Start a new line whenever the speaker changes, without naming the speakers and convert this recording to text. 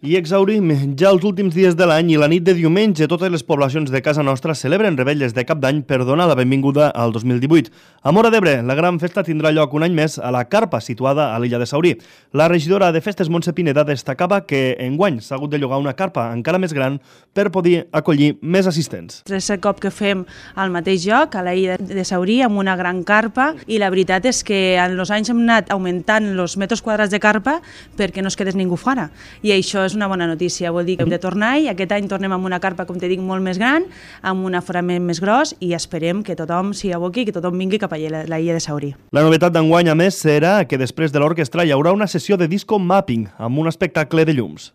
I exhaurim ja els últims dies de l'any i la nit de diumenge totes les poblacions de casa nostra celebren revetlles de cap d'any per donar la benvinguda al 2018. A Móra d'Ebre, la gran festa tindrà lloc un any més a la carpa situada a l'illa de Saurí. La regidora de Festes, Montse Pineda, destacava que enguany s'ha hagut de llogar una carpa encara més gran per poder acollir més assistents.
És el cop que fem al mateix lloc, a la illa de Saurí, amb una gran carpa, i la veritat és que en els anys hem anat augmentant els metres quadrats de carpa perquè no es quedés ningú fora. I això és una bona notícia, vol dir que hem de tornar i aquest any tornem amb una carpa, com te dic, molt més gran, amb un aforament més gros i esperem que tothom s'hi aboqui i que tothom vingui cap a la illa de Saurí.
La novetat d'enguany, a més, serà que després de l'orquestra hi haurà una sessió de disco mapping amb un espectacle de llums.